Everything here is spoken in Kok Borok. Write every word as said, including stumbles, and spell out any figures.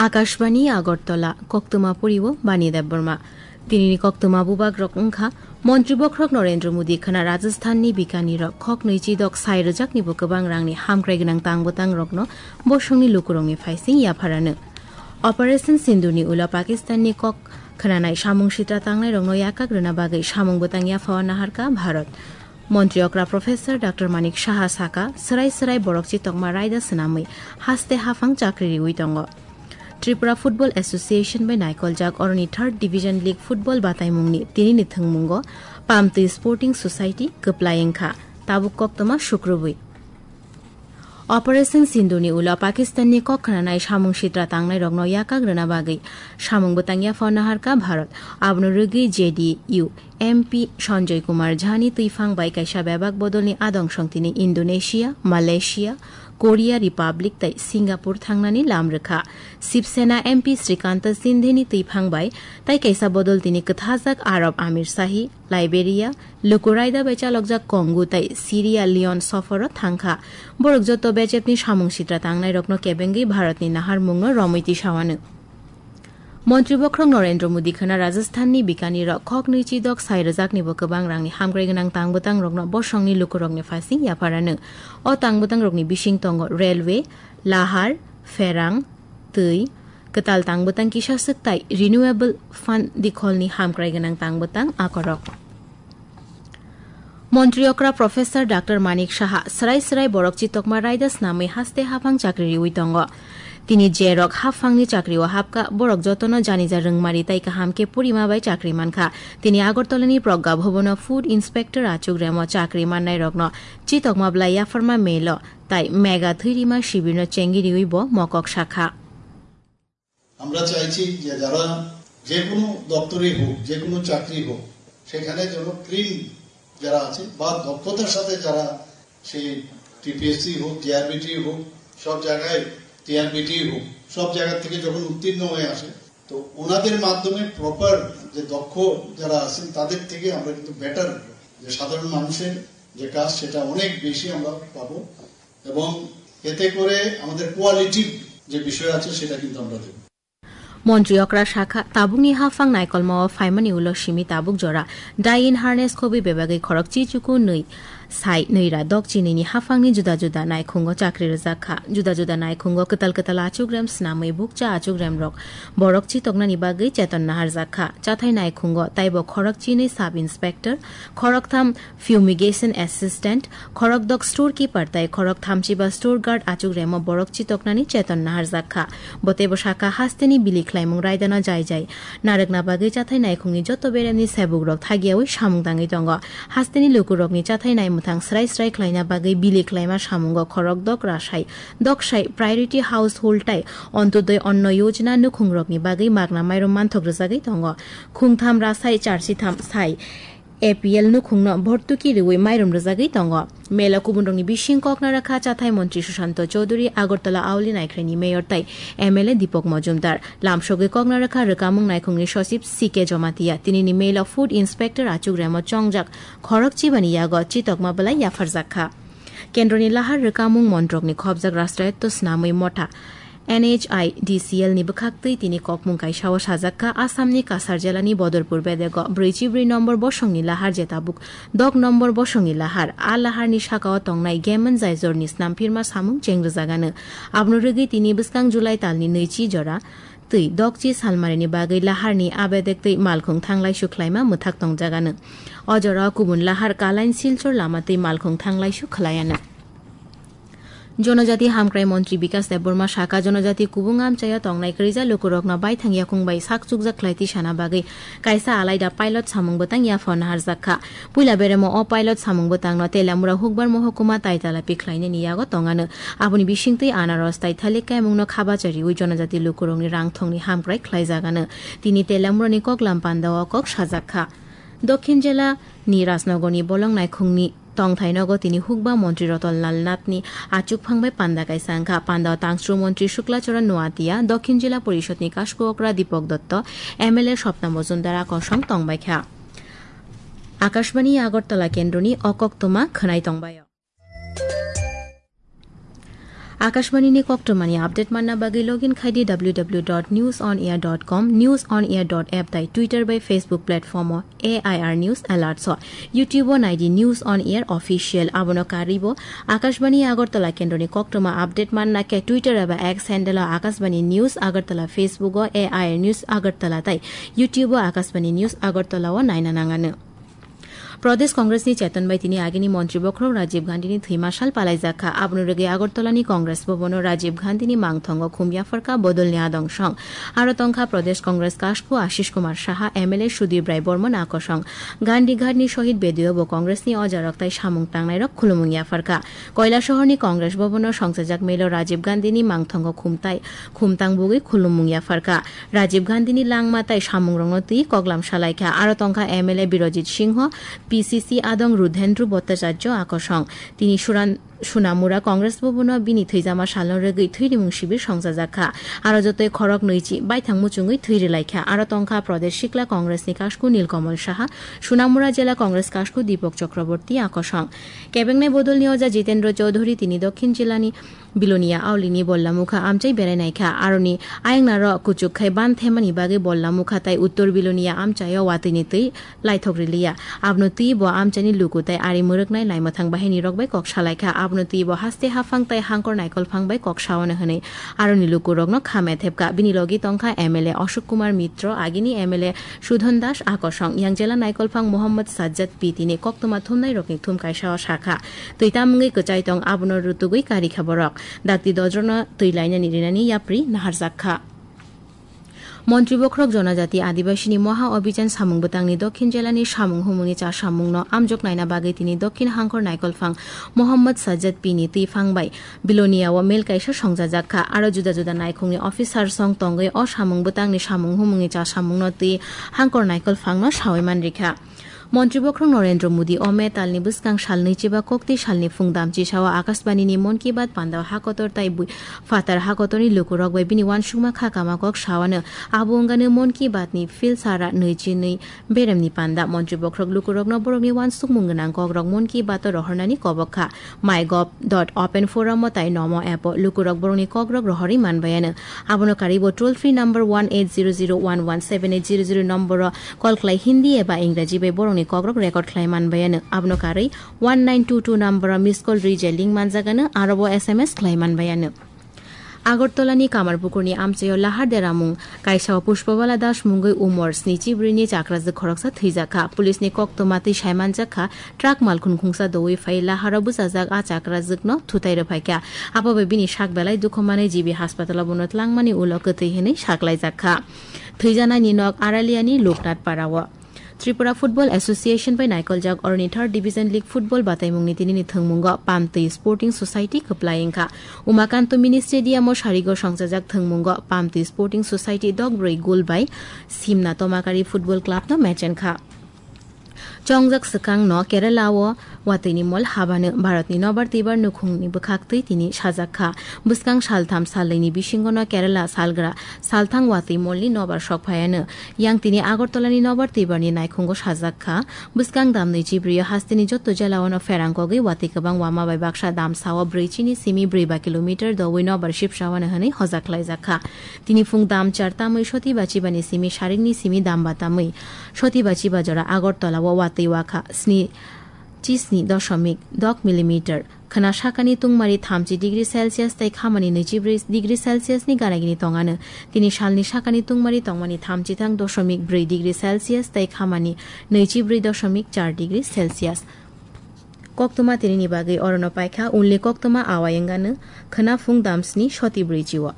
Akashbani Agartala, koktwma poriwo Bani Debbarma. Tinini koktwma bubagrok wngkha, Montri Bokhorok Narendra Modi khwna Rajasthanni Bikanirok khoknwi chidok sai rwjaknibo kwbang rangni hamkrai gwnang tangbo tangrokno bosongni lukurokni phaising yapharano. Operation Sindurni ulo Pakistanni kok khwnanai samung sitra tangnairokno yakak rwna bagwi samung bwtang yaphao naharkha Bharat. Montri okra Professor Doctor Manik Saha saka, swrai swrai borok chitokma raida swnamwi haste haphang chakri riwi tongo. Tripura Football Association bai naikoljak oroni Third Division League football bataimungni tinini thwngmungo Pamtwi Sporting Society kwplai wngkha, tabuk koktwma sukrubwi. Operation Sindurni ulo Pakistanni kok khwnanai samung sitra tangnairokno yakak rwna bagwi samung bwtang yaphao naharkha Bharat. Abono rwgwi J D U M P Sanjay Kumar Jhani twiphang bai kaisa bebak bodolni adong songtini Indonesia, Malaysia, Korea Republic tei Singapore thangnani lam rwkha. Shiv Sena M P Srikanta Shindeni twiphang bai tai kaisa bodol tini kwthajak Arab Amir Shahi, Liberia, luku raida bai chalokjak Congo tei Sierra Leone soforo thangkha. Borok joto bechepni samung sitra tangnairokno kebengwi Bharatni naharmungno romwi tisawano. Montri Bokhorok Narendra Modi khwna Rajasthanni Bikanirok khoknwi chidok sai rwjaknibo kwbang rangni hamkrai gwnang tangbo tangrokno bosongni lukurokni phaising yapharano. O tangbo tangrokni bising tongo railway, lahar, pherang, twi, kwtal tangbwtang kisa swk tai renewable fund dikholni hamkrai gwnang tangbwtang akorok. Montri okra Professor Doctor Manik Saha swrai swrai borok chitokma raida snamwi haste haphang chakri riwi tongo. Tini je rok haphangni chakrio hapkha, borok jotono janija rwngmari tai kaham khe purima bai chakri mankha. Tini Agartalani Pragya Bhavan-o Food Inspector achuk remo chakri mannairokno chitokma bwlai yapharma melo tai mega thwirima shibirno chengiriwi bo mokok sakha. আমরা চাইছি যে যারা যে কোনো দপ্তরেই হোক, যে কোনো চাকরি হোক, সেখানে যেন ক্লিন যারা আছে বা দক্ষতার সাথে যারা সেই টিপিএসসি হোক, টিআরবিটি হোক, সব জায়গায়, টিআরবিটি হোক, সব জায়গা থেকে যখন উত্তীর্ণ হয়ে আসে, তো ওনাদের মাধ্যমে প্রপার যে দক্ষ যারা আছেন তাদের থেকে আমরা কিন্তু বেটার, যে সাধারণ মানুষের যে কাজ সেটা অনেক বেশি আমরা পাবো। এবং এতে করে আমাদের কোয়ালিটির যে বিষয় আছে সেটা কিন্তু আমরা দেখব। Montri okra sakha, tabukni haphang naikolmao phaimani ulo simi tabuk jora dye-in harness khobwi bebagwi khorokchi chuku nwi sai nwi ra dokchi nini haphangni juda juda naikhungo chakri rwjak kha. Juda juda naikhungo kwtal kwtal achukrem snamwi bukcha achukremrok borok chitoknani bagwi cheton naharjak kha. Chathai naikhungo taibo khorokchinwi sub inspector, khoroktham fumigation assistant, khorokdok store keeper tai khorok thamchiba store guard achukremo borok chitoknani cheton naharjak kha. Bo teibo sakha hasteni bili khlaimung raidano jai jai narwkna bagwi chathai naikhungni joto beremni sebukrok thagiyawi samung tangwi tongo. Hasteni lukurokni chathai naimwthang srai srai khlaina bagwi bili khlaima samungo khorokdok rasai doksai priority household tai Antyodoi Anna Yojana nukhungrokni bagwi magna mairum manthok rwjagwi tongo. Khungtham rasai charsitham sai A P L nukhungno bhortuki rwui mairum rwjagwi tongo. Mela kubunrokni bising kok narakha chathai montri Sushanta Chowdhury, Agartala Auli Naikhraini mayor tai M L A Deepak Majumdar. Lamsogwi kok narakha rwkamung naikhungni sochib C K Jamatia. Tinini mela food inspector achukremo chongjak khorok chibani yago chitokma bwlai yapharjak kha. Kendroni lahar rwkamung montrokni khobjak rashtrayotto snamwi motha N H I D C L ni bwkhaktwi tini kokmung kaisao sajak kha, Assamni Kasar jelani Bodorpur bedego brwichi brwi nombor bosongni lahar je tabuk dok nombor bosongni lahar. A laharni sakao tongnai Gemen Jaijorni snamphirma samung chengrwjagano. Abono rwgwi tini bwskang July talni nwichi jora twi dokchi salmarini bagwi laharni a bedektwi malkhung thanglaisu khlaima mwthak tongjagano. O jorao kubun lahar Kalain Silchar lama twi malkhung thanglaisu khlaiano. Jonojati hamkrai montri Bikas Debbarma saka, jonojati kubung amchaio tongnai kwrwija lukurokno baithang yakung bai sak chukjak khlai tisana bagwi kaisa alaida pilot samung bwtang yaphao naharjak kha. Puila beremo o pilot samung bwtangno Telamura Hukbar Mohokuma Taitala pikhlainani yago tongano. Aboni bisingtwi anaros tai thalik kaimungno khabacha riwi jonojati lukurokni rangthongni hamkrai khlaijagano. Tini Telamurani koklam pandao kok sajak kha. Dokhin jela ni Rajnogorni bolong naikhungni tongthai nogo tini hukba montri Ratan Lal Nathni achukphang bai panda kaisa wngkha. Pandao tangchru montri Shukla Charan Noatia, Dokhin Jila Porishadni kasku okra Deepak Dotto, M L A Swapna Majumdar a kosong tongbaikha. Akashbani Agartala kendroni o koktwma khwnai tongbaio. Akashbani ni koktwmani update manna bagwi login khai di w w w dot news on air dot com, news on air dot app tai Twitter bai Facebook platform o A I R News Alerts o. YouTube o nai di News on Air Official. Abono karwi bo Akashbani Agartala kendroni koktwma update manna khe Twitter eba X handle o Akashbani News Agartala, Facebook o A I R News Agartala tai YouTube o Akashbani News Agartala o naina nangano. Pradesh Congress ni cheton bai tini agini montri bokhorok Rajiv Gandhi ni thwi mashal palaijak kha. Aboni rwgwi Agartala ni Congress Bhavan o Rajiv Gandhi ni mangthongo khum yapharkha bodol ni adong song. Aro tongkha Pradesh Congress kasku Ashish Kumar Saha, M L A Sudip Rai Bormon akosong. Gandhi Ghat ni Shohid Bedeo bo Congress ni ojarok tai samung tangnai rok khulumung yapharkha. Koilashahar ni Congress Bhavan o songchajak melo Rajiv Gandhi ni mangthongo khum tai, khum tangbugwi khulumung yapharkha. Rajiv Gandhi ni langma tai samungrokno twi koklam salaikha. Aro tongkha M L A Birojit Singho, P C C adong Rudhendru Bhattacharya akosong. Tini Suran-, Sunamura Congress Bhavan o bini thwijama salno rwgwi thwirimung sibir songchajak kha. Aro jotoi khorok nwichi baithang muchungwi thwi rwlaikha. Aro tongkha Pradesh Sikla Congress ni kasku Nilkamal Saha, Sunamura Jela Congress kasku Deepak Chakraborty akosong. Kebengnai bodolni oja Jitendra Chaudhary tini Dokhin Jilani Bilonia Aulini Bollamukha amchai berai naikha. Aroni ayang naro kuchuk khai ban themani bagwi Bollamukha tai Uttor Bilonia amchaio watwini twi laithok riliya. Abono twi bo amchaini luku tai ari mwrwknai naimwthang bahirirok bai kok salaikha. Abono twi bo haste haphang tai hangkor naikolphang bai kok saono hwnwi aroni lukurokno kha methepkha. Bini logi tongkha M L A Ashok Kumar Mitro, agini M L A Sudhon Das akosong, yang jela naikolphang Mohammad Sajjad P T ni koktwma thumnairokni thum kaisao sakha. Twi tamungwi kwchai tong, abono rutugwi karikha borok. Dakti dodrokno twi lainani rinani yapri naharjak kha. Montri bokhorok Jonajati Adibasini Moha Abhijan samung bwtangni Dokhin jelani samung humungni chasamungno amjok naina bagwi tini Dokhin hangkor naikolphang Mohammad Sajjad P ni twiphang bai Bilonia o mel kaisa songjajak kha. Aro juda juda naikhungni officer song tongwi o samung bwtangni samung humungni chasamungno twi hangkor naikolphangno sawi manrikha. Montri bokhorok Narendra Modi o May talni bwskang sal nwichiba koktwi salni phung damchisao Akashbani ni Mon Ki Baat pandao hakotor tai bui-, phatar hakotorni lukurok bai bini uansukma kha kama kok saoano. Abo wngano Mon Ki Baat ni phil sara nwichi nwi beremni panda. Montri bokhorok lukurokno borokni uansukmung gwnang kokrok Mon Ki Baat o rohornani kobok kha. MyGov dot open forum o tai Nomo app o lukurok borokni kokrok rohorwi manbayano. Abono karwi bo toll free number one eight zero zero one one seven eight zero zero number o call khlai Hindi eba Ingraji bai borokni kokrok record khlai manbayano. Abono karwi one nine two two number o miss call rwi je link manjagano, aro bo S M S khlai manbayano. Agartala ni Kamarpukur ni amchaio lahar deramung kaisa o Pushpabala Das mungwi umor snichi bwrwi ni chakrajwk khoroksa thwijak kha. Police ni koktwma twi saimanjak kha, truck malkhung khungsa dowi phai laharo bwchajak a chakrajwk no thutai rwphaikha. Abo bai bini sak belai dukhu manwi G B hospital o bono tlangmani ulo kwtwi hwnwi saklaijak kha. Thwijanai ni nok Aralia ni Loknath Para o. Tripura Football Association bai naikoljak oroni Third Division League Football bataimungni tinini thwngmungo Pamtwi Sporting Society kwplai wngkha. Umakanto Mini Stadium o sarigo songchajak thwngmungo Pamtwi Sporting Society dok brwi goal bai Simna Tomakari Football Club no match wngkha. Chongjak swkang no Kerala o watwi ni mol habano Bharat ni nobar twibar nukhung ni bwkhak twi tini sajak kha. Bwskang saltham salnwi ni bisingo no Kerala salgra salthang watwi mol ni nobar sok phaiano. Yang tini Agartala ni nobar twibar ni naikhungo sajak kha. Bwskang damnwi chibrwi o hasteni jotto jela o no pherang kogwi watwi kwbang wama bai baksa damsa o brwi chini simi brwi ba kilometer dowi nobar sipsa wano hwnwi hojak khlaijak kha. Tini phung dam char tamwi soti ba chiba ni simi sarik ni simi dam ba tamwi soti ba chiba jora Agartala o watwi wakha sni chisni doshomik dok millimeter. Khwna sakani tungmari thamchi degree Celsius tei khamani nwichibrwi degree Celsius ni ganagini tongano. Tini salni sakani tungmari tongmani thamchi thang doshomik brwi degree Celsius tei khamani nwichibrwi doshomik char degree Celsius. Koktwma tinini bagwi orono paikha, ulni koktwma awai wngano khwna phung damsni soti brwichi o.